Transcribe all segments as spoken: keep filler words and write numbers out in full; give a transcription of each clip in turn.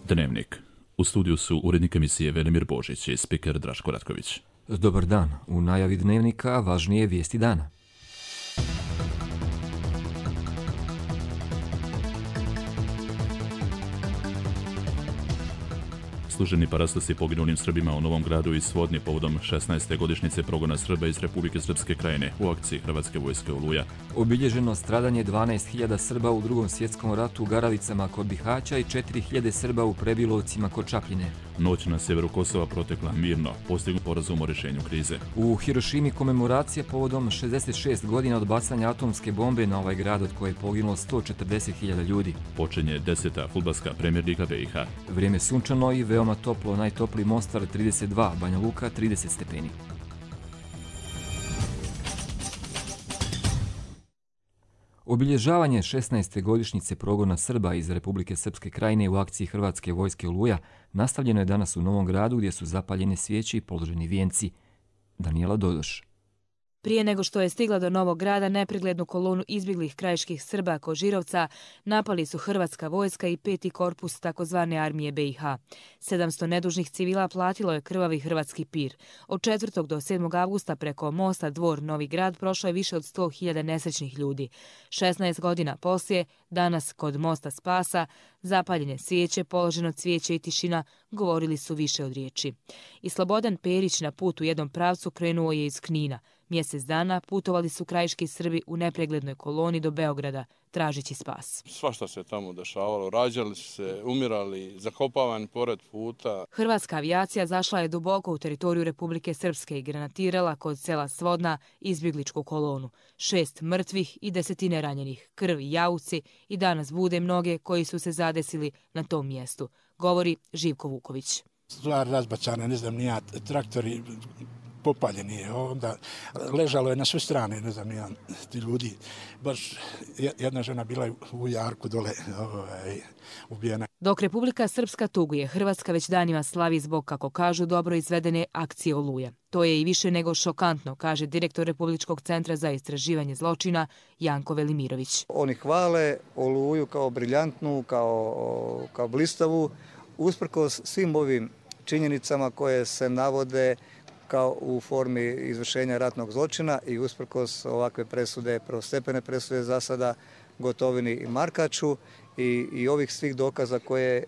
Dnevnik. U studiju su urednik emisije Velimir Božić i spiker Draško Ratković. Dobar dan. U najavi Dnevnika važnije vijesti dana. Služeni parastosi poginulim Srbima u Novom Gradu i Svodni povodom šesnaeste godišnjice progona Srba iz Republike Srpske Krajine u akciji Hrvatske vojske Oluja. Obilježeno stradanje dvanaest hiljada Srba u Drugom svjetskom ratu u Garavicama kod Bihaća i četiri hiljade Srba u Prebilovcima kod Čapljine. Noć na sjeveru Kosova protekla mirno, postignut sporazum o rješenju krize. U Hirošimi komemoracija povodom šezdeset šest godina od bacanja atomske bombe na ovaj grad od koje je poginulo sto četrdeset hiljada ljudi. Počinje deseta fudbalska Premier Liga B i H. Vrijeme sunčano i veoma toplo, najtopliji Mostar trideset dva, Banja Luka trideset stepeni. Obilježavanje šesnaeste godišnjice progona Srba iz Republike Srpske Krajine u akciji Hrvatske vojske Oluja nastavljeno je danas u Novom Gradu gdje su zapaljene svijeće i položeni vijenci. Danijela Dodoš. Prije nego što je stigla do Novog Grada, nepreglednu kolonu izbjeglih krajiških Srba Kožirovca napali su Hrvatska vojska i peti korpus takozvane armije B i H. sedamsto nedužnih civila platilo je krvavi hrvatski pir. Od četvrtog do sedmog avgusta preko mosta Dvor Novi Grad prošlo je više od sto hiljada nesrećnih ljudi. šesnaest godina poslije, danas kod mosta Spasa, zapaljene svijeće, položeno cvijeće i tišina govorili su više od riječi. I Slobodan Perić na put u jednom pravcu krenuo je iz Knina. Mjesec dana putovali su krajiški Srbi u nepreglednoj koloni do Beograda, tražeći spas. Svašta se tamo dešavalo, rađali su se, umirali, zakopavani pored puta. Hrvatska avijacija zašla je duboko u teritoriju Republike Srpske i granatirala kod sela Svodna izbjegličku kolonu. Šest mrtvih i desetine ranjenih, krv i jauci i danas bude mnoge koji su se zadesili na tom mjestu, govori Živko Vuković. Stvar razbacana, ne znam, nija traktori popaljeni je, onda ležalo je na sve strane, ne znam, jedan ti ljudi. Baš jedna žena bila u jarku dole ovaj, ubijena. Dok Republika Srpska tuguje, Hrvatska već danima slavi zbog, kako kažu, dobro izvedene akcije Oluja. To je i više nego šokantno, kaže direktor Republičkog centra za istraživanje zločina Janko Velimirović. Oni hvale Oluju kao briljantnu, kao, kao blistavu, usprkos svim ovim činjenicama koje se navode kao u formi izvršenja ratnog zločina i usprkos ovakve presude, prvostepene presude za sada Gotovini i Markaču i, i ovih svih dokaza koje e,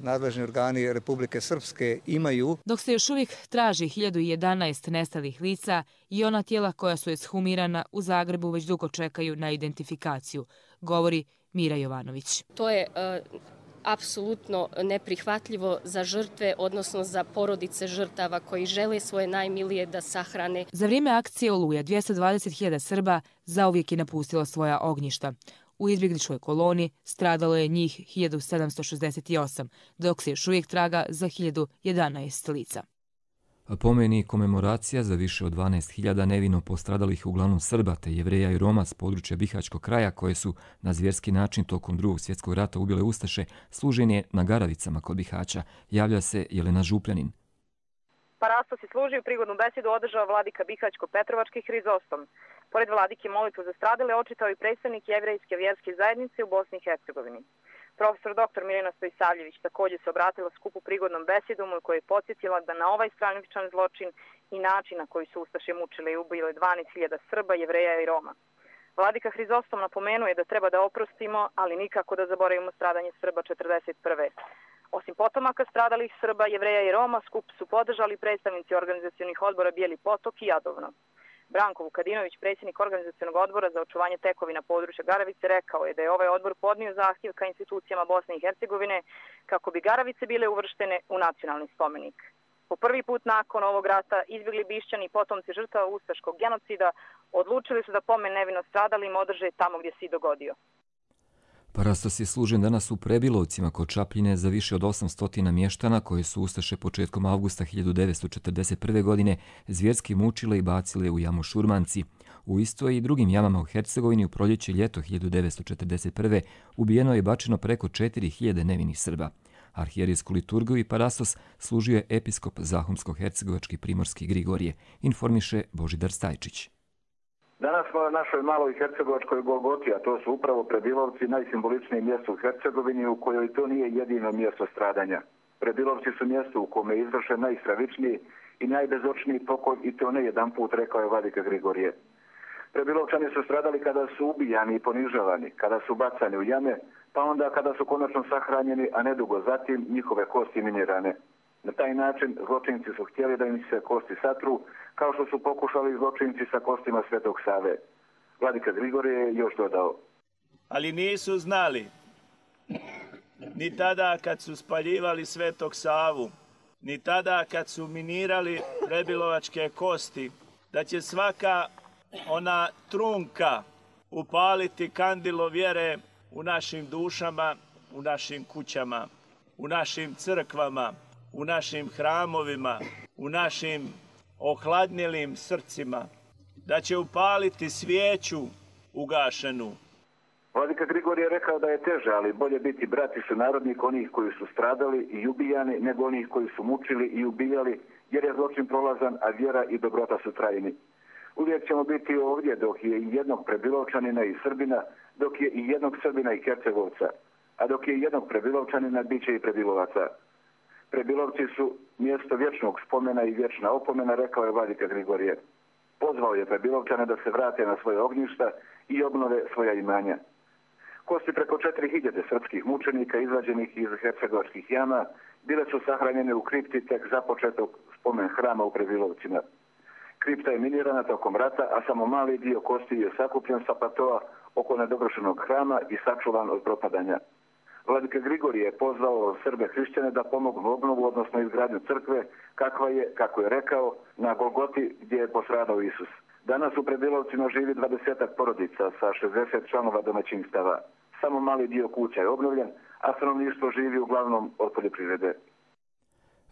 nadležni organi Republike Srpske imaju. Dok se još uvijek traži hiljadu jedanaest nestalih lica i ona tijela koja su ekshumirana u Zagrebu već dugo čekaju na identifikaciju, govori Mira Jovanović. To je uh... apsolutno neprihvatljivo za žrtve, odnosno za porodice žrtava koji žele svoje najmilije da sahrane. Za vrijeme akcije Oluja dvjesto dvadeset hiljada Srba zauvijek je napustilo svoja ognjišta. U izbjegličkoj koloni stradalo je njih hiljadu sedamsto šezdeset osam, dok se još uvijek traga za hiljadu jedanaest lica. Pomeni komemoracija za više od dvanaest hiljada nevino postradalih uglavnom Srba te Jevreja i Roma s područja Bihaćkog kraja koje su na zvjerski način tokom Drugog svjetskog rata ubile ustaše, služen je na Garavicama kod Bihaća. Javlja se Jelena Župljanin. Parastos je služio prigodnu besedu održao vladika Bihaćko-Petrovački Hrizostom. Pored vladike molitvu za stradale očitao i predstavnik jevrejske vjerske zajednice u Bosni i Hercegovini. Profesor doktor Mirjana Stojsavljević također se obratila skupu prigodnom besedom u kojoj je podsjetila da na ovaj stravičan zločin i način na koji su ustaše mučile i ubile dvanaest hiljada Srba, Jevreja i Roma. Vladika Hrizostom napomenuje da treba da oprostimo, ali nikako da zaboravimo stradanje Srba četrdeset prve. Osim potomaka stradalih Srba, Jevreja i Roma, skup su podržali predstavnici organizacionih odbora Bijeli Potok i Jadovno. Branko Vukadinović, predsjednik organizacionog odbora za očuvanje tekovina područja Garavice, rekao je da je ovaj odbor podnio zahtjev ka institucijama Bosne i Hercegovine kako bi Garavice bile uvrštene u nacionalni spomenik. Po prvi put nakon ovog rata izbjegli Bišćani i potomci žrtava ustaškog genocida odlučili su da pomen nevino stradalim održe tamo gdje se i dogodio. Parastos je služen danas u Prebilovcima kod Čapljine za više od osamsto mještana koje su ustaše početkom avgusta hiljadu devetsto četrdeset prve. godine zvjerski mučile i bacile u jamu Šurmanci. U istoj i drugim jamama u Hercegovini u proljeće ljeto hiljadu devetsto četrdeset prve. ubijeno je i bačeno preko četiri hiljade nevinih Srba. Arhijerijsku liturgiju i parastos služio je episkop Zahumsko-hercegovački primorski Grigorije, informiše Božidar Stajčić. Danas smo na našoj maloj hercegovačkoj Golgoti, a to su upravo Prebilovci, najsimboličnije mjesto u Hercegovini u kojoj to nije jedino mjesto stradanja. Prebilovci su mjesto u kome je izvršen najstravičniji i najbezočniji pokolj i to ne jedan put, rekao je vladika Grigorije. Prebilovčani su stradali kada su ubijani i ponižavani, kada su bacani u jame, pa onda kada su konačno sahranjeni, a nedugo zatim njihove kosti minirane. Na taj način zločinci su htjeli da im se kosti satru, kao što su pokušali zločinci sa kostima Svetog Save. Vladika Grigorije je još dodao. Ali nisu znali, ni tada kad su spaljivali Svetog Savu, ni tada kad su minirali prebilovačke kosti, da će svaka ona trunka upaliti kandilo vjere u našim dušama, u našim kućama, u našim crkvama, u našim hramovima, u našim ohladnjelim srcima, da će upaliti svijeću ugašenu. Vladika Grigorije je rekao da je teže, ali bolje biti brat i sunarodnik onih koji su stradali i ubijani, nego onih koji su mučili i ubijali, jer je zločin prolazan, a vjera i dobrota su trajni. Uvijek ćemo biti ovdje dok je i jednog Prebilovčanina i Srbina, dok je i jednog Srbina i Hercegovca, a dok je i jednog Prebilovčanina, bit će i Prebilovaca. Prebilovci su mjesto vječnog spomena i vječna opomena, rekao je vladika Grigorije. Pozvao je Prebilovčane da se vrate na svoje ognjišta i obnove svoja imanja. Kosti preko četiri hiljade srpskih mučenika izvađenih iz hercegovačkih jama bile su sahranjene u kripti tek započetog spomen hrama u Prebilovcima. Kripta je minirana tokom rata, a samo mali dio kosti je sakupljen sa platoa oko nedovršenog hrama i sačuvan od propadanja. Vladika Grigorije je pozvao Srbe hrišćane da pomognu obnovu, odnosno izgradnju crkve, kakva je, kako je rekao, na Golgoti gdje je postradao Isus. Danas u Prebilovcima živi dvadesetak porodica sa šezdeset članova domaćinstava. Samo mali dio kuća je obnovljen, a stanovništvo živi uglavnom od poljoprivrede.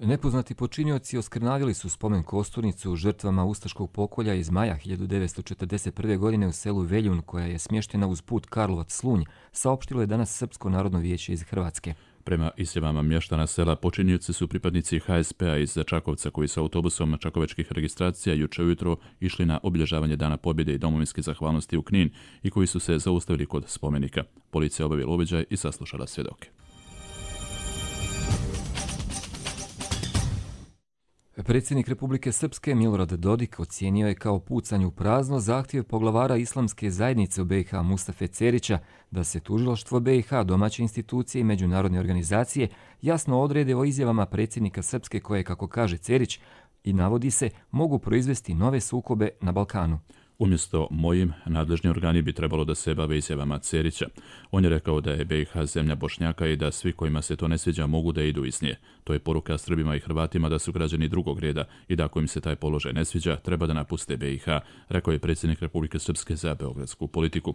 Nepoznati počinioci oskrnavili su spomen kosturnicu žrtvama ustaškog pokolja iz maja hiljadu devetsto četrdeset prve. godine u selu Veljun, koja je smještena uz put Karlovac-Slunj, saopštilo je danas Srpsko narodno vijeće iz Hrvatske. Prema izjavama mještana sela, počinioci su pripadnici ha es pe a iz Čakovca koji su autobusom čakovečkih registracija juče ujutro išli na obilježavanje Dana pobjede i domovinske zahvalnosti u Knin i koji su se zaustavili kod spomenika. Policija obavila uviđaj i saslušala svjedoke. Predsjednik Republike Srpske Milorad Dodik ocijenio je kao pucanje u prazno zahtjev poglavara islamske zajednice u be i ha Mustafe Cerića da se tužilaštvo be i ha, domaće institucije i međunarodne organizacije jasno odrede o izjavama predsjednika Srpske koje, kako kaže Cerić, i navodi se, mogu proizvesti nove sukobe na Balkanu. Umjesto mojim, nadležni organi bi trebalo da se bave izjavama Cerića. On je rekao da je be i ha zemlja Bošnjaka i da svi kojima se to ne sviđa mogu da idu iz nje. To je poruka Srbima i Hrvatima da su građani drugog reda i da ako im se taj položaj ne sviđa, treba da napuste be i ha, rekao je predsjednik Republike Srpske za beogradsku politiku.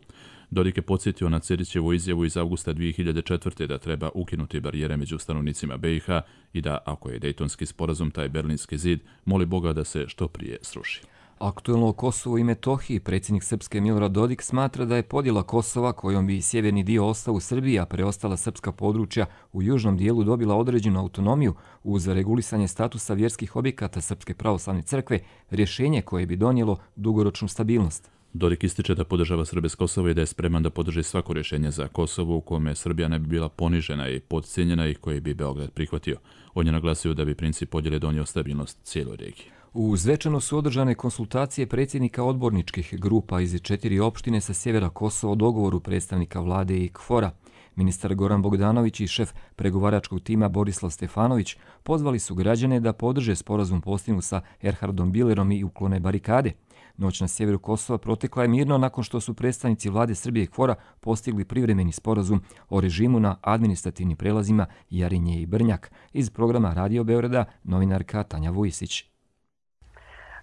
Dodik je podsjetio na Cerićevu izjavu iz avgusta dvije hiljade četvrte. da treba ukinuti barijere među stanovnicima be i ha i da, ako je Dejtonski sporazum taj Berlinski zid, moli Boga da se što prije sruši. Aktuelno o Kosovu i Metohiji, predsjednik Srpske Milorad Dodik smatra da je podjela Kosova, kojom bi sjeverni dio ostao u Srbiji, a preostala srpska područja u južnom dijelu dobila određenu autonomiju uz regulisanje statusa vjerskih objekata Srpske pravoslavne crkve, rješenje koje bi donijelo dugoročnu stabilnost. Dodik ističe da podržava Srbe s Kosova i da je spreman da podrži svako rješenje za Kosovo u kome Srbija ne bi bila ponižena i podcijenjena i koje bi Beograd prihvatio. On je naglasio da bi princip podjele donio stabilnost cijeloj regiji. U Zvečanu su održane konsultacije predsjednika odborničkih grupa iz četiri opštine sa sjevera Kosova o dogovoru predstavnika vlade i kfora. Ministar Goran Bogdanović i šef pregovaračkog tima Borislav Stefanović pozvali su građane da podrže sporazum postignut sa Erhardom Bilerom i uklone barikade. Noć na sjeveru Kosova protekla je mirno nakon što su predstavnici vlade Srbije i kfora postigli privremeni sporazum o režimu na administrativnim prelazima Jarinje i Brnjak. Iz programa Radio Beograda novinarka Tanja Vujisić.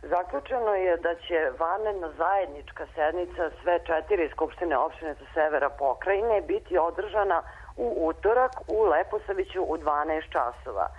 Zaključeno je da će vanredna zajednička sednica sve četiri skupštine opštine sa severa pokrajine biti održana u utorak u Leposaviću u dvanaest časova. E,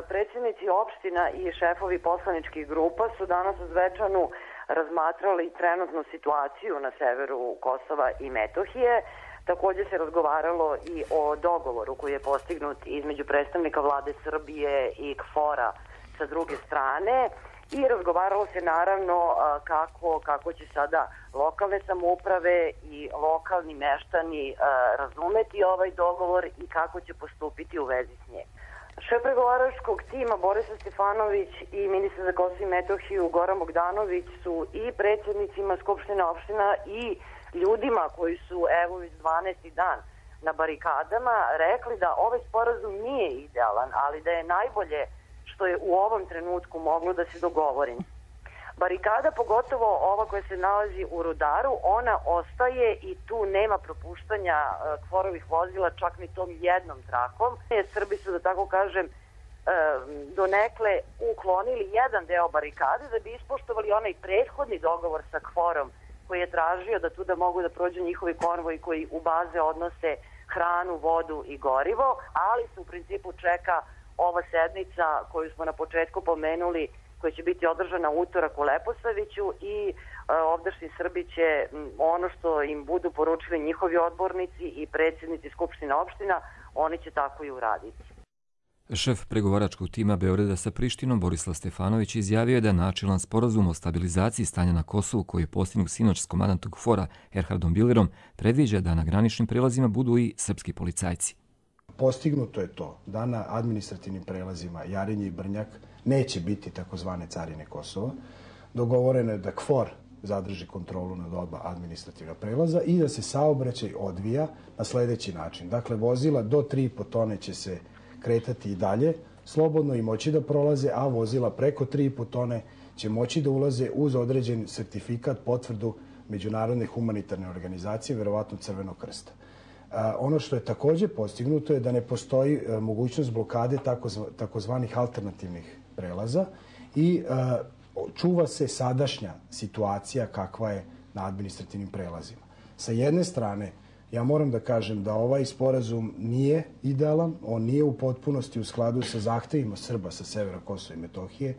predsjednici opština i šefovi poslaničkih grupa su danas u Zvečanu razmatrali trenutnu situaciju na severu Kosova i Metohije. Također se razgovaralo i o dogovoru koji je postignut između predstavnika vlade Srbije i kfora sa druge strane i razgovaralo se naravno kako, kako će sada lokalne samouprave i lokalni meštani razumeti ovaj dogovor i kako će postupiti u vezi s njim. Šef pregovaračkog tima Borislav Stefanović i ministar za Kosovo i Metohiju Goran Bogdanović su i predsjednicima Skupštine opština i ljudima koji su evo već dvanaesti dan na barikadama rekli da ovaj sporazum nije idealan, ali da je najbolje što je u ovom trenutku moglo da se dogovori. Barikada, pogotovo ova koja se nalazi u Rudaru, ona ostaje i tu nema propuštanja kvorovih vozila čak ni tom jednom trakom. Srbi su, da tako kažem, donekle uklonili jedan deo barikade da bi ispoštovali onaj prethodni dogovor sa kvorom koji je tražio da tu da mogu da prođu njihovi konvoji koji u baze odnose hranu, vodu i gorivo, ali se u principu čeka ova sednica koju smo na početku pomenuli, koja će biti održana utorak u Leposaviću i e, ovdašnji Srbi će ono što im budu poručili njihovi odbornici i predsjednici Skupštine opština, oni će tako i uraditi. Šef pregovaračkog tima Beograda sa Prištinom Borislav Stefanović izjavio je da načilan sporazum o stabilizaciji stanja na Kosovu koji je postignut sinoć s komandantog KFOR-a Erhardom Billerom predviđa da na graničnim prelazima budu i srpski policajci. Postignuto je to da na administrativnim prelazima Jarinje i Brnjak neće biti takozvane carine Kosova. Dogovoreno je da KFOR zadrži kontrolu nad oba administrativna prelaza i da se saobraćaj odvija na sljedeći način. Dakle, vozila do tri i po tone će se kretati i dalje, slobodno i moći da prolaze, a vozila preko tri i po tone će moći da ulaze uz određen sertifikat, potvrdu Međunarodne humanitarne organizacije, verovatno Crvenog krsta. Ono što je također postignuto je da ne postoji mogućnost blokade takozvanih alternativnih prelaza i čuva se sadašnja situacija kakva je na administrativnim prelazima. Sa jedne strane, ja moram da kažem da ovaj sporazum nije idealan, on nije u potpunosti u skladu sa zahtevima Srba sa severa Kosova i Metohije,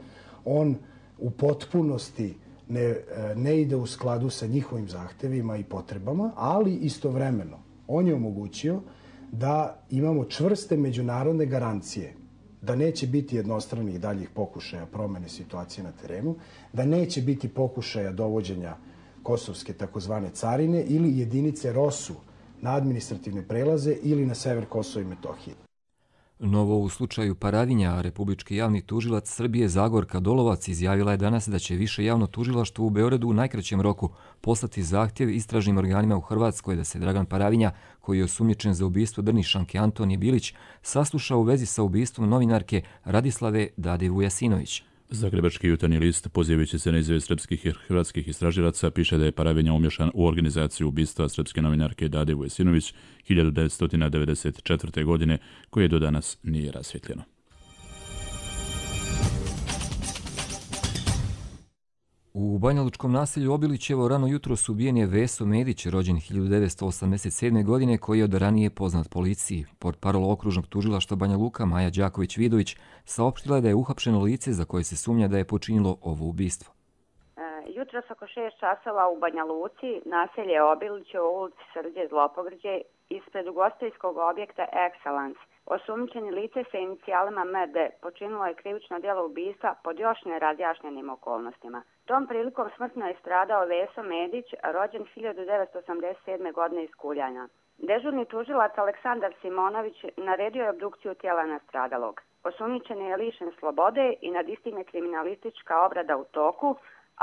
on u potpunosti ne, ne ide u skladu sa njihovim zahtevima i potrebama, ali istovremeno on je omogućio da imamo čvrste međunarodne garancije da neće biti jednostranih daljih pokušaja promene situacije na terenu, da neće biti pokušaja dovođenja kosovske takozvane carine ili jedinice ROSU na administrativne prelaze ili na sever Kosova i Metohije. Novo u slučaju Paravinja, republički javni tužilac Srbije Zagorka Dolovac izjavila je danas da će više javno tužilaštvo u Beogradu u najkraćem roku poslati zahtjev istražnim organima u Hrvatskoj da se Dragan Paravinja, koji je osumnjičen za ubistvo Drnišanke Antonije Bilić, sasluša u vezi sa ubistvom novinarke Radislave Dade Vujasinović. Zagrebački jutarnji list, pozivajući se na izjave srpskih i hrvatskih istražilaca, piše da je Paravinja umješan u organizaciju ubistva srpske novinarke Dade Vujasinović hiljadu devetsto devedeset četvrte. godine, koje do danas nije rasvjetljeno. U banjalučkom naselju Obilićevo rano jutro ubijen je Veso Medić, rođen hiljadu devetsto osamdeset sedme. godine, koji je od ranije poznat policiji. Portparol okružnog tužilaštva Banja Luka Maja Đaković-Vidović saopštila je da je uhapšeno lice za koje se sumnja da je počinilo ovo ubistvo. Jutros oko šest časova u Banja Luci, naselje Obilićevo u ulici Srđe Zlopogrđe, ispred ugostiteljskog objekta Excellence. Osumnjičeni lice sa inicijalima M D počinilo je krivično djelo ubistva pod još nerazjašnjenim okolnostima. Tom prilikom smrtno je stradao Veso Medić, rođen hiljadu devetsto osamdeset sedme. godine iz Kuljana. Dežurni tužilac Aleksandar Simonović naredio je obdukciju tijela nastradalog. Osumnjičeni je lišen slobode i nad istim je kriminalistička obrada u toku,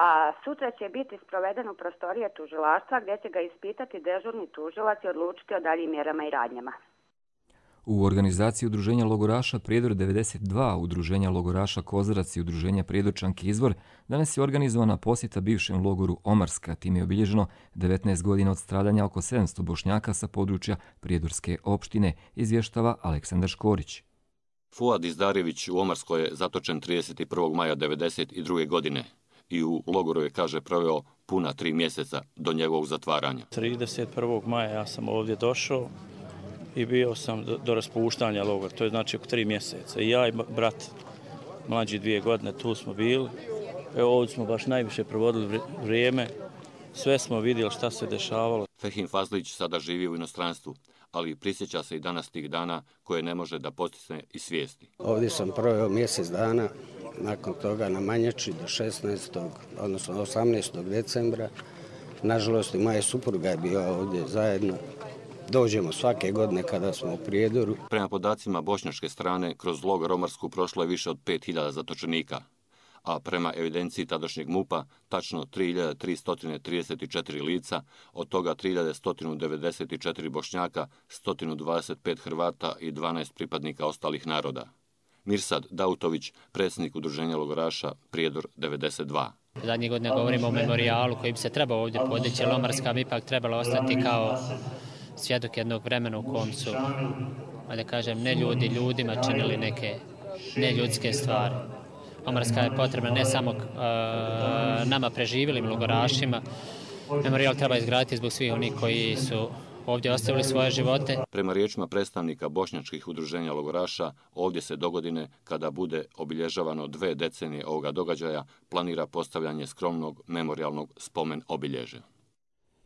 a sutra će biti sproveden u prostorije tužilaštva gdje će ga ispitati dežurni tužilac i odlučiti o daljim mjerama i radnjama. U organizaciji Udruženja logoraša Prijedor devedeset dva, Udruženja logoraša Kozarac i Udruženja Prijedorčanki Izvor danas je organizovana posjeta bivšem logoru Omarska. Time je obilježeno devetnaest godina od stradanja oko sedamsto Bošnjaka sa područja Prijedorske opštine, izvještava Aleksandar Škorić. Fuad Izdarević u Omarskoj je zatočen trideset prvog maja devedeset druge. godine i u logoru je, kaže, proveo puna tri mjeseca do njegovog zatvaranja. trideset prvog maja ja sam ovdje došao i bio sam do, do raspuštanja logora, to je znači oko tri mjeseca. I ja i brat, mlađi dvije godine, tu smo bili. Evo, ovdje smo baš najviše provodili vrijeme, sve smo vidjeli šta se dešavalo. Fehim Fazlić sada živi u inostranstvu, ali prisjeća se i danas tih dana koje ne može da postisne iz svijesti. Ovdje sam proveo mjesec dana nakon toga na Manjači do šesnaestog odnosno osamnaestog decembra. Nažalost, i moja supruga je bila ovdje zajedno. Dođemo svake godine kada smo u Prijedoru. Prema podacima bošnjačke strane, kroz logor Omarsku prošlo je više od pet hiljada zatočenika, a prema evidenciji tadašnjeg MUP-a tačno tri hiljade tristo trideset četiri lica, od toga tri hiljade sto devedeset četiri Bošnjaka, sto dvadeset pet Hrvata i dvanaest pripadnika ostalih naroda. Mirsad Dautović, predsjednik udruženja logoraša Prijedor devedeset dva. Zadnje godine govorimo o memorijalu koji bi se trebao ovdje podići, jer Omarska bi ipak trebala ostati kao svjedok jednog vremena u kom su, da kažem, ne ljudi ljudima činili neke neljudske stvari. Omarska je potrebna ne samo uh, nama preživelim logorašima. Memorijal treba izgraditi zbog svih onih koji su ovdje ostavili svoje živote. Prema riječima predstavnika bošnjačkih udruženja logoraša, ovdje se dogodine, kada bude obilježavano dve decenije ovoga događaja, planira postavljanje skromnog memorijalnog spomen obilježja.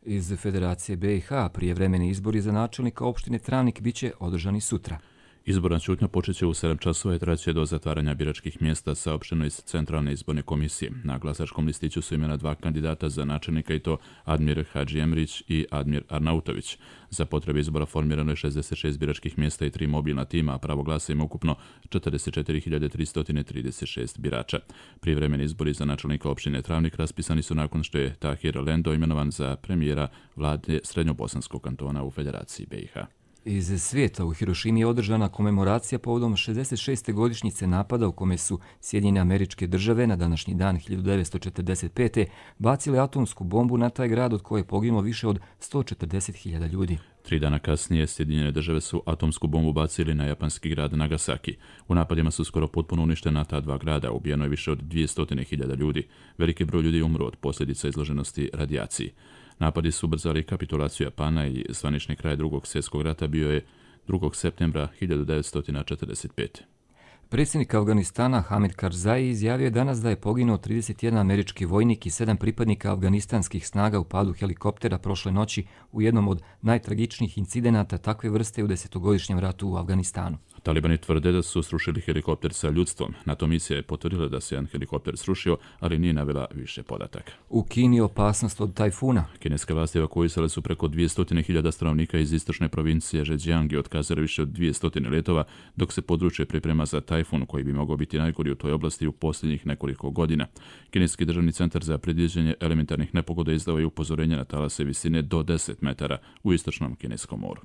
Iz Federacije B i H prijevremeni izbori za načelnika opštine Travnik biće održani sutra. Izborna ćutnja počeće u sedam časova i traće do zatvaranja biračkih mjesta, saopšteno iz Centralne izborne komisije. Na glasačkom listiću su imena dva kandidata za načelnika, i to Admir Hadži Emrić i Admir Arnautović. Za potrebe izbora formirano je šezdeset šest biračkih mjesta i tri mobilna tima, a pravo glasa ima ukupno četrdeset četiri hiljade tristo trideset šest birača. Prijevremeni izbori za načelnika opštine Travnik raspisani su nakon što je Tahir Lendo imenovan za premijera vlade Srednjobosanskog kantona u Federaciji B i H. Iz svijeta u Hirošimi je održana komemoracija povodom šezdeset šeste godišnjice napada u kome su Sjedinjene Američke Države na današnji dan hiljadu devetsto četrdeset pete bacile atomsku bombu na taj grad, od koje je poginulo više od sto četrdeset hiljada ljudi. Tri dana kasnije Sjedinjene Države su atomsku bombu bacili na japanski grad Nagasaki. U napadima su skoro potpuno uništena ta dva grada, ubijeno je više od dvjesto hiljada ljudi. Veliki broj ljudi je umro od posljedica izloženosti radijaciji. Napadi su ubrzali kapitulaciju Japana i zvanični kraj drugog svjetskog rata bio je drugog septembra hiljadu devetsto četrdeset pete. Predsjednik Afganistana Hamid Karzai izjavio je danas da je poginuo trideset jedan američki vojnik i sedam pripadnika afganistanskih snaga u padu helikoptera prošle noći u jednom od najtragičnijih incidenata takve vrste u desetogodišnjem ratu u Afganistanu. Talibani tvrde da su srušili helikopter sa ljudstvom. NATO misija je potvrdila da se jedan helikopter srušio, ali nije navela više podataka. U Kini je opasnost od tajfuna. Kineske vlasti evakuisale su preko dvjesto hiljada stanovnika iz istočne provincije Zhejiang i otkazali više od dvjesto letova, dok se područje priprema za tajfun koji bi mogao biti najgori u toj oblasti u posljednjih nekoliko godina. Kineski državni centar za predviđanje elementarnih nepogoda izdao je upozorenje na talase visine do deset metara u istočnom Kineskom moru.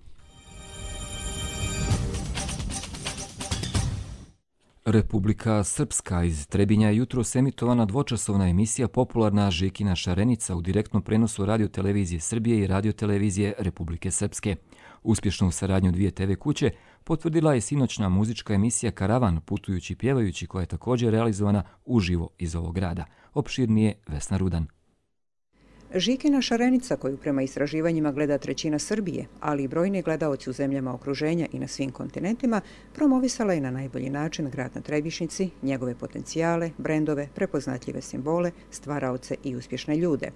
Republika Srpska. Iz Trebinja je jutros emitovana dvočasovna emisija popularna Žikina šarenica u direktnom prenosu radiotelevizije Srbije i radiotelevizije Republike Srpske. Uspješnu saradnju dvije te ve kuće potvrdila je sinoćna muzička emisija Karavan, putujući i pjevajući, koja je također realizovana uživo iz ovog grada. Opširnije Vesna Rudan. Žikina šarenica, koju prema istraživanjima gleda trećina Srbije, ali i brojni gledaoci u zemljama okruženja i na svim kontinentima, promovisala je na najbolji način grad na Trebišnici, njegove potencijale, brendove, prepoznatljive simbole, stvaraoce i uspješne ljude.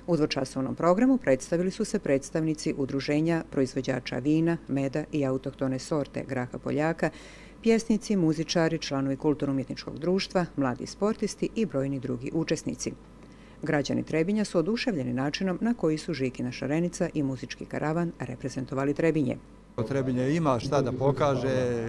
U dvočasovnom programu predstavili su se predstavnici udruženja proizvođača vina, meda i autohtone sorte graha Poljaka, pjesnici, muzičari, članovi kulturno-umjetničkog društva, mladi sportisti i brojni drugi učesnici. Građani Trebinja su oduševljeni načinom na koji su Žikina šarenica i muzički karavan reprezentovali Trebinje. Trebinje ima šta da pokaže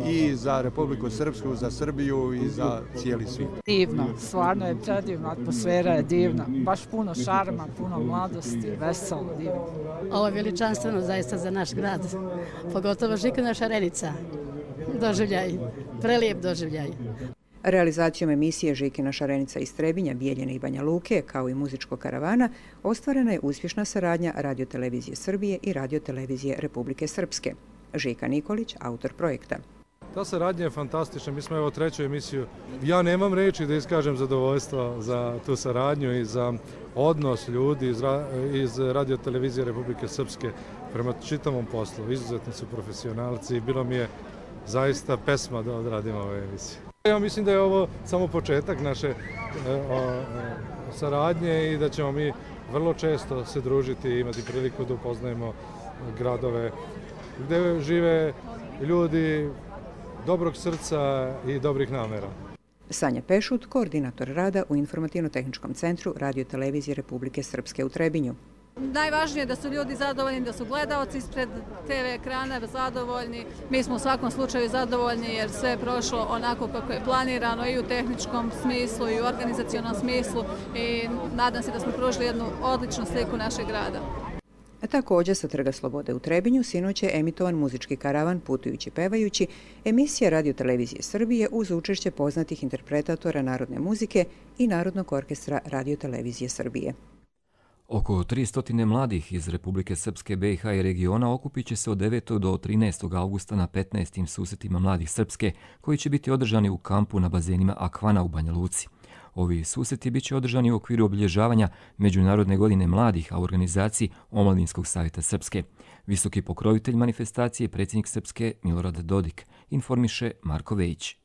i za Republiku Srpsku, za Srbiju i za cijeli svijet. Divno, stvarno je predivno, atmosfera je divna, baš puno šarma, puno mladosti, veselo, divno. Ovo je veličanstveno zaista za naš grad, pogotovo Žikina šarenica. Doživljaj, prelijep doživljaj. Realizacijom emisije Žikina šarenica iz Trebinja, Bijeljine i Banja Luke, kao i muzičkog karavana, ostvarena je uspješna saradnja radiotelevizije Srbije i radiotelevizije Republike Srpske. Žika Nikolić, autor projekta. Ta saradnja je fantastična, mi smo evo treću emisiju. Ja nemam reči da iskažem zadovoljstvo za tu saradnju i za odnos ljudi iz, ra iz radiotelevizije Republike Srpske prema čitavom poslu. Izuzetni su profesionalci i bilo mi je zaista pesma da odradim ove emisije. Ja mislim da je ovo samo početak naše e, o, saradnje i da ćemo mi vrlo često se družiti i imati priliku da upoznajemo gradove gdje žive ljudi dobrog srca i dobrih namera. Sanja Pešut, koordinator rada u Informativno-tehničkom centru Radio-televizije Republike Srpske u Trebinju. Najvažnije je da su ljudi zadovoljni, da su gledaoci ispred te ve ekrana zadovoljni. Mi smo u svakom slučaju zadovoljni jer sve je prošlo onako kako je planirano i u tehničkom smislu i u organizacionom smislu i nadam se da smo pružili jednu odličnu sliku našeg grada. A također sa Trga Slobode u Trebinju sinoć je emitovan muzički karavan Putujući pevajući, emisija Radio-televizije Srbije uz učešće poznatih interpretatora narodne muzike i Narodnog orkestra Radio-televizije Srbije. Oko tristo mladih iz Republike Srpske, be i ha i regiona okupit će se od devetog do trinaestog avgusta na petnaestim susretima mladih Srpske, koji će biti održani u kampu na bazenima Akvana u Banja Luci. Ovi susreti bit će održani u okviru obilježavanja Međunarodne godine mladih, a u organizaciji Omladinskog savjeta Srpske. Visoki pokrovitelj manifestacije je predsjednik Srpske Milorad Dodik, informiše Marko Vejić.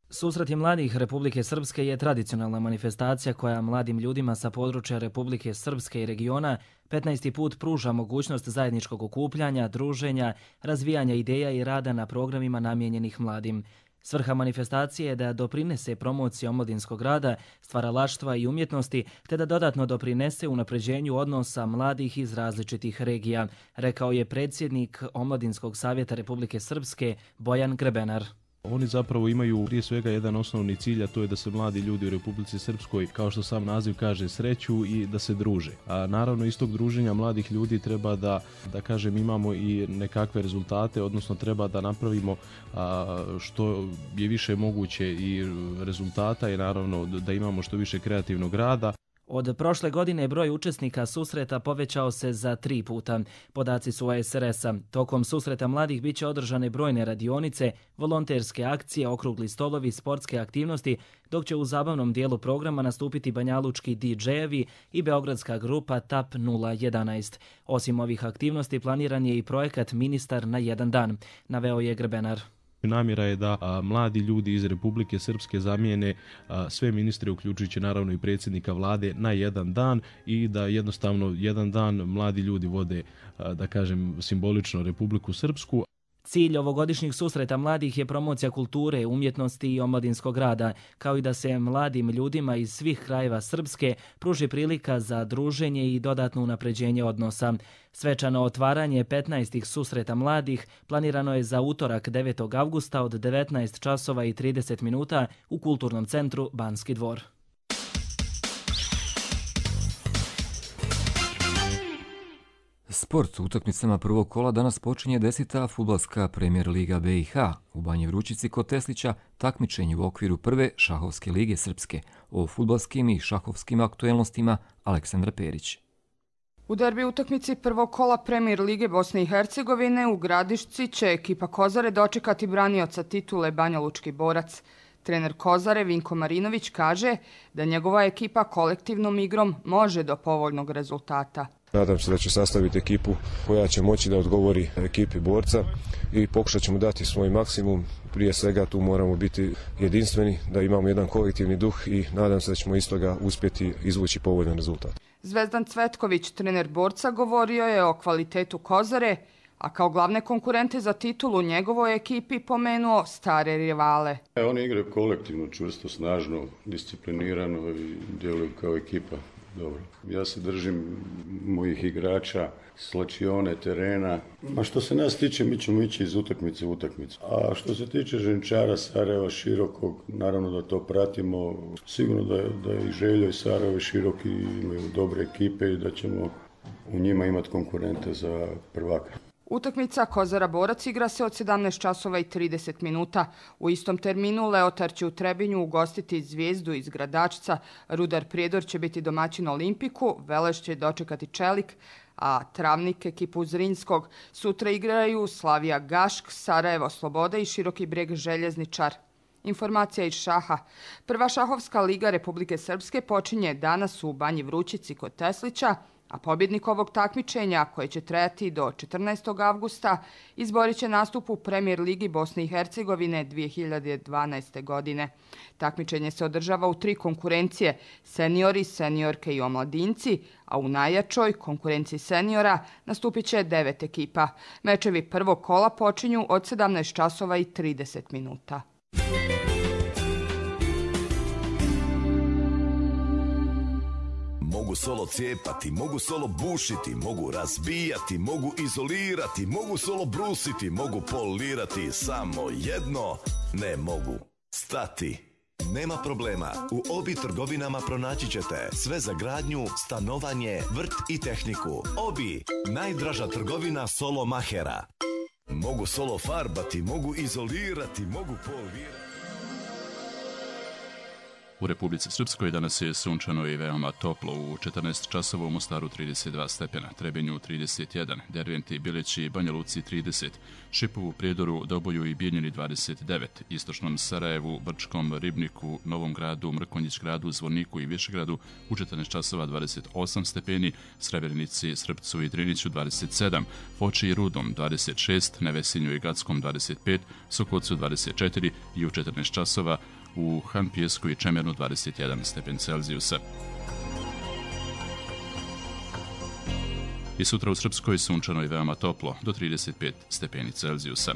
Susreti mladih Republike Srpske je tradicionalna manifestacija koja mladim ljudima sa područja Republike Srpske i regiona petnaesti put pruža mogućnost zajedničkog okupljanja, druženja, razvijanja ideja i rada na programima namijenjenih mladim. Svrha manifestacije je da doprinese promociji omladinskog rada, stvaralaštva i umjetnosti, te da dodatno doprinese unapređenju odnosa mladih iz različitih regija, rekao je predsjednik Omladinskog savjeta Republike Srpske Bojan Grebenar. Oni zapravo imaju prije svega jedan osnovni cilj, a to je da se mladi ljudi u Republici Srpskoj, kao što sam naziv kaže, sreću i da se druže. A naravno iz tog druženja mladih ljudi treba da, da kažem, imamo i nekakve rezultate, odnosno treba da napravimo a, što je više moguće i rezultata i naravno da imamo što više kreativnog rada. Od prošle godine broj učesnika susreta povećao se za tri puta. Podaci su a es er es a. Tokom susreta mladih bit će održane brojne radionice, volonterske akcije, okrugli stolovi, sportske aktivnosti, dok će u zabavnom dijelu programa nastupiti banjalučki di džejevi i beogradska grupa T A P nula jedanaest. Osim ovih aktivnosti planiran je i projekat Ministar na jedan dan, naveo je Grebenar. Namjera je da a, mladi ljudi iz Republike Srpske zamijene a, sve ministre, uključujući naravno i predsjednika vlade, na jedan dan i da jednostavno jedan dan mladi ljudi vode, a, da kažem, simbolično Republiku Srpsku. Cilj ovogodišnjih susreta mladih je promocija kulture, umjetnosti i omladinskog rada, kao i da se mladim ljudima iz svih krajeva Srpske pruži prilika za druženje i dodatno unapređenje odnosa. Svečano otvaranje petnaestih susreta mladih planirano je za utorak devetog avgusta od devetnaest časova i trideset minuta u Kulturnom centru Banski dvor. Sport. Utakmicama prvog kola danas počinje deseta fudbalska Premier Liga be i ha. U Banji Vrućici kod Teslića takmičenje u okviru prve šahovske lige Srpske. O fudbalskim i šahovskim aktuelnostima Aleksandra Perić. U derbi utakmici prvog kola Premier Lige Bosne i Hercegovine u Gradišci će ekipa Kozare dočekati branioca titule Banjalučki borac. Trener Kozare Vinko Marinović kaže da njegova ekipa kolektivnom igrom može do povoljnog rezultata. Nadam se da će sastaviti ekipu koja će moći da odgovori ekipi borca i pokušat ćemo dati svoj maksimum. Prije svega tu moramo biti jedinstveni, da imamo jedan kolektivni duh i nadam se da ćemo iz toga uspjeti izvući povoljan rezultat. Zvezdan Cvetković, trener borca, govorio je o kvalitetu Kozare, a kao glavne konkurente za titulu njegovoj ekipi pomenuo stare rivale. Oni igraju kolektivno, čvrsto, snažno, disciplinirano i djeluju kao ekipa. Dobro. Ja se držim mojih igrača, slačione, terena. A što se nas tiče, mi ćemo ići iz utakmice u utakmicu. A što se tiče Ženčara, Sarajeva, Širokog, naravno da to pratimo. Sigurno da je, da je i Željo i Sarajevo i Široki imaju dobre ekipe i da ćemo u njima imati konkurente za prvaka. Utakmica Kozara Borac igra se od sedamnaest časova i trideset minuta. U istom terminu Leotar će u Trebinju ugostiti Zvijezdu iz Gradačca, Rudar Prijedor će biti domaćin Olimpiku, Veleš će dočekati Čelik, a Travnik ekipu Zrinskog. Sutra igraju Slavija Gašk, Sarajevo Sloboda i Široki Breg Željezničar. Informacija iz šaha. Prva šahovska liga Republike Srpske počinje danas u Banji Vrućici kod Teslića, a pobjednik ovog takmičenja, koje će trajati do četrnaestog avgusta, izborit će nastup u Premier Ligi Bosne i Hercegovine dvije hiljade dvanaeste. godine. Takmičenje se održava u tri konkurencije, seniori, seniorke i omladinci, a u najjačoj konkurenciji seniora nastupit će devet ekipa. Mečevi prvog kola počinju od sedamnaest časova i trideset minuta. Mogu solo cijepati, mogu solo bušiti, mogu razbijati, mogu izolirati, mogu solo brusiti, mogu polirati, samo jedno ne mogu stati. Nema problema, u Obi trgovinama pronaći ćete sve za gradnju, stanovanje, vrt i tehniku. Obi, najdraža trgovina solo mahera. Mogu solo farbati, mogu izolirati, mogu polirati. U Republici Srpskoj danas je sunčano i veoma toplo. U četrnaest časova u Mostaru trideset dva stepena, Trebinju trideset jedan, Derventi, Bilići, Banja Luci trideset, Šipovu, Prijedoru, Doboju i Bijeljini dvadeset devet, Istočnom Sarajevu, Brčkom, Ribniku, Novom Gradu, Mrkonjić Gradu, Zvorniku i Višegradu u četrnaest časova dvadeset osam stepeni, Srebrenici, Srpcu i Driniću dvadeset sedam, Foči i Rudom dvadeset šest, Nevesinju i Gackom dvadeset pet, Sokocu dvadeset četiri i u četrnaest časova u Han Pijesku i Čemernu dvadeset jedan stepen Celzijusa. I sutra u Srpskoj sunčano i veoma toplo, do trideset pet stepeni Celzijusa.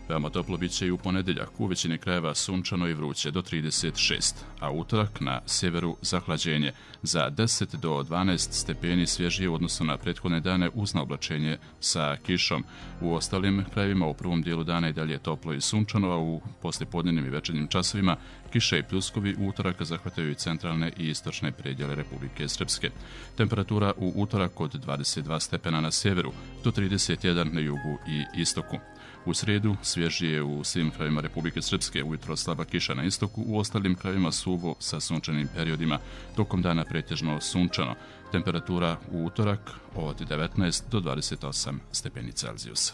Veoma toplo bit će i u ponedeljak, u većini krajeva sunčano i vruće do trideset šest, a utorak na sjeveru zahlađenje za deset do dvanaest stepeni svježije u odnosu na prethodne dane uz naoblačenje sa kišom. U ostalim krajevima u prvom dijelu dana i dalje je toplo i sunčano, a u poslijepodnevnim i večernjim časovima kiše i pljuskovi u utorak zahvataju i centralne i istočne predjele Republike Srpske. Temperatura u utorak od dvadeset dva stepena na sjeveru do trideset jedan na jugu i istoku. U srijedu svježije u svim krajevima Republike Srpske, ujutro slaba kiša na istoku, u ostalim krajevima suvo sa sunčanim periodima, tokom dana pretežno sunčano. Temperatura u utorak od devetnaest do dvadeset osam stepeni Celzijusa.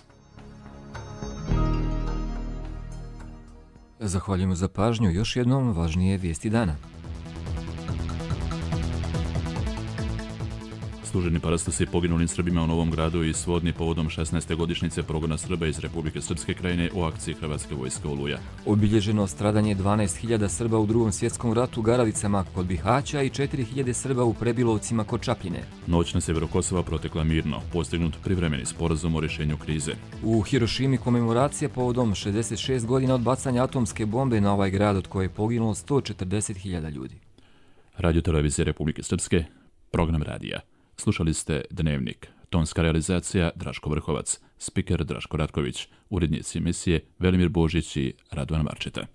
Zahvaljujemo za pažnju. Još jednom važnije vijesti dana. Služeni parastasi poginulim Srbima u Novom Gradu i Svodni povodom šesnaeste godišnjice progona Srba iz Republike Srpske krajine u akciji Hrvatske vojske Oluja. Obilježeno stradanje dvanaest hiljada Srba u Drugom svjetskom ratu u Garavicama kod Bihaća i četiri hiljade Srba u Prebilovcima kod Čapljine. Noć na sjeveru Kosova protekla mirno, postignut privremeni sporazum o rješenju krize. U Hirošimi komemoracija povodom šezdeset šest godina od bacanja atomske bombe na ovaj grad od koje je poginulo sto četrdeset hiljada ljudi. Radio televizije Republike Srpske, program radija. Slušali ste Dnevnik, tonska realizacija Draško Vrhovac, spiker Draško Ratković, urednici emisije Velimir Božić i Radovan Marčeta.